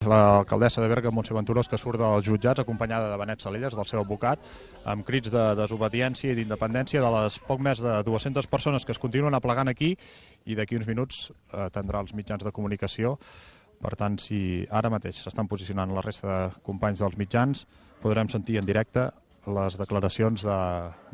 L'alcaldessa de Berga, Montse Venturós, que surt dels jutjats acompanyada de Benet Salellas, del seu advocat, amb crits de desobediència i d'independència de les poc més de 200 persones que es continuen aplegant aquí, i d'aquí uns minuts atendrà els mitjans de comunicació. Per tant, si ara mateix s'estan posicionant la resta de companys dels mitjans, podrem sentir en directe les declaracions de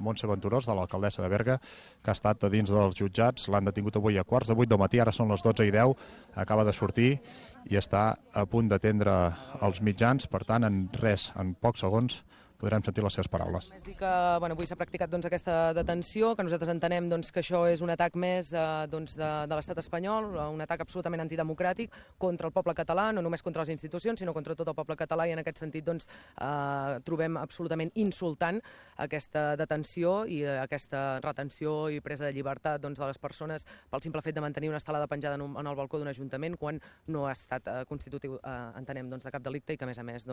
Montse Venturós, de l'alcaldessa de Berga, que ha estat a dins dels jutjats. L'han detingut avui a 7:15 del matí, ara són les 12:10, acaba de sortir i està a punt d'atendre els mitjans. Per tant, en pocs segons podrem sentir les seves paraules. Només dir que avui s'ha practicat aquesta detenció, que nosaltres entenem que això és un atac més de l'estat espanyol, un atac absolutament antidemocràtic contra el poble català, no només contra les institucions, sinó contra tot el poble català, i en aquest sentit trobem absolutament insultant aquesta detenció i aquesta retenció i presa de llibertat de les persones pel simple fet de mantenir una estelada penjada en el balcó d'un ajuntament quan no ha estat constitutiu, entenem, de cap delicte, i que a més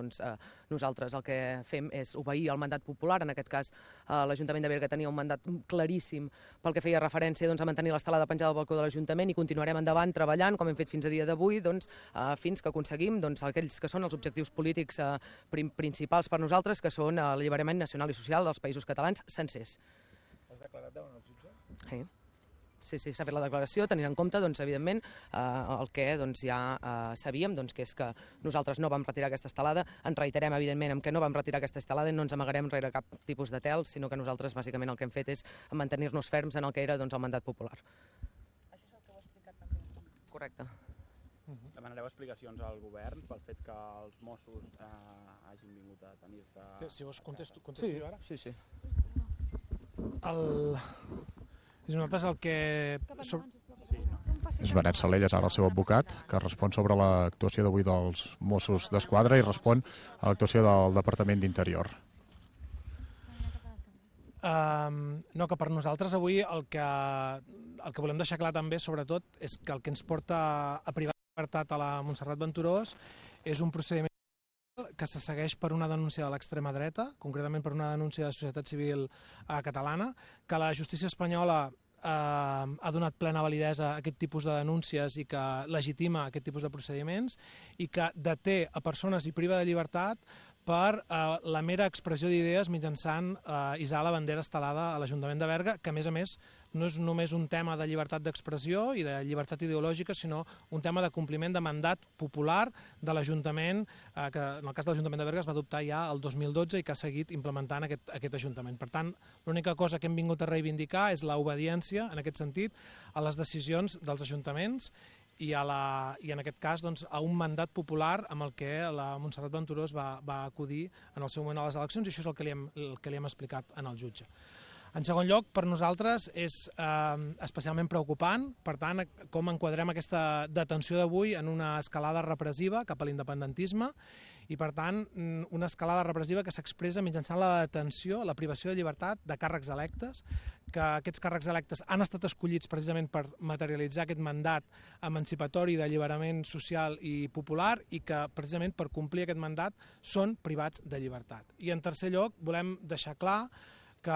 nosaltres el que fem és obeir el mandat popular. En aquest cas, l'Ajuntament de Berga tenia un mandat claríssim pel que feia referència a mantenir l'estelada penjada al balcó de l'Ajuntament, i continuarem endavant treballant, com hem fet fins a dia d'avui, fins que aconseguim aquells que són els objectius polítics principals per nosaltres, que són l'alliberament nacional i social dels països catalans sencers. Has declarat davant el jutge? Sí, s'ha fet la declaració, tenint en compte, evidentment, el que ja sabíem, que és que nosaltres no vam retirar aquesta estelada. Ens reiterem, evidentment, en què no vam retirar aquesta estelada i no ens amagarem rere cap tipus de tel, sinó que nosaltres, bàsicament, el que hem fet és mantenir-nos ferms en el que era el mandat popular. Això és el que heu explicat també? Correcte. Demanareu explicacions al govern pel fet que els Mossos hagin vingut a tenir-te... Si vols contesto jo ara? Sí. Nosaltres el que... És Benet Salellas, ara el seu advocat, que respon sobre l'actuació d'avui dels Mossos d'Esquadra i respon a l'actuació del Departament d'Interior. No, que per nosaltres avui el que volem deixar clar també, sobretot, és que el que ens porta a privar de llibertat a la Montserrat Venturós és un procediment que se segueix per una denúncia de l'extrema dreta, concretament per una denúncia de societat civil catalana, que la justícia espanyola ha donat plena validesa a aquest tipus de denúncies i que legitima aquest tipus de procediments, i que deté a persones i priva de llibertat per la mera expressió d'idees mitjançant hissar la bandera estelada a l'Ajuntament de Berga, que a més no és només un tema de llibertat d'expressió i de llibertat ideològica, sinó un tema de compliment de mandat popular de l'Ajuntament, que en el cas de l'Ajuntament de Berga es va adoptar ja el 2012 i que ha seguit implementant aquest Ajuntament. Per tant, l'única cosa que hem vingut a reivindicar és l'obediència, en aquest sentit, a les decisions dels ajuntaments i en aquest cas a un mandat popular amb el que la Montserrat Venturós va acudir en el seu moment a les eleccions, i això és el que li hem explicat en el jutge. En segon lloc, per nosaltres és especialment preocupant, per tant, com enquadrem aquesta detenció d'avui en una escalada repressiva cap a l'independentisme, i per tant una escalada repressiva que s'expressa mitjançant la detenció, la privació de llibertat de càrrecs electes, que aquests càrrecs electes han estat escollits precisament per materialitzar aquest mandat emancipatori d'alliberament social i popular, i que precisament per complir aquest mandat són privats de llibertat. I en tercer lloc, volem deixar clar que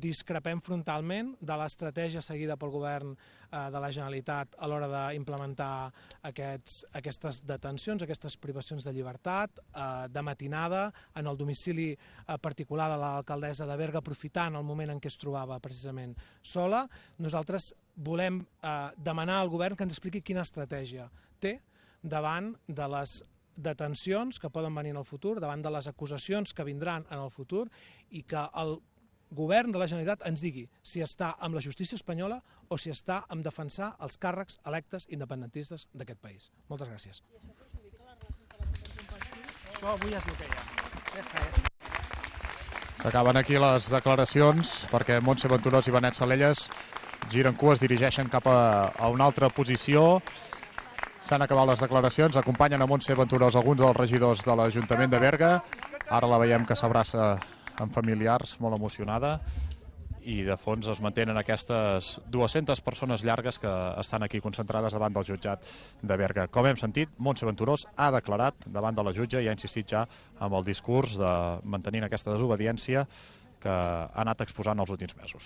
discrepem frontalment de l'estratègia seguida pel govern de la Generalitat a l'hora d'implementar aquestes detencions, aquestes privacions de llibertat, de matinada, en el domicili particular de l'alcaldessa de Berga, aprofitant el moment en què es trobava precisament sola. Nosaltres volem demanar al govern que ens expliqui quina estratègia té davant de les detencions que poden venir en el futur, davant de les acusacions que vindran en el futur, i que el govern de la Generalitat ens digui si està amb la justícia espanyola o si està amb defensar els càrrecs electes independentistes d'aquest país. Moltes gràcies. I això perjudica les relacions de la detenció en qual? Això avui es bloqueja. Ja està. S'acaben aquí les declaracions perquè Montse Venturós i Benet Salellas giren cua, es dirigeixen cap a una altra posició. S'han acabat les declaracions, acompanyen a Montse Venturós alguns dels regidors de l'Ajuntament de Berga. Ara la veiem que s'abraça amb familiars, molt emocionada, i de fons es mantenen aquestes 200 persones llargues que estan aquí concentrades davant del jutjat de Berga. Com hem sentit, Montse Venturós ha declarat davant de la jutge i ha insistit ja amb el discurs de mantenir aquesta desobediència que ha anat exposant els últims mesos.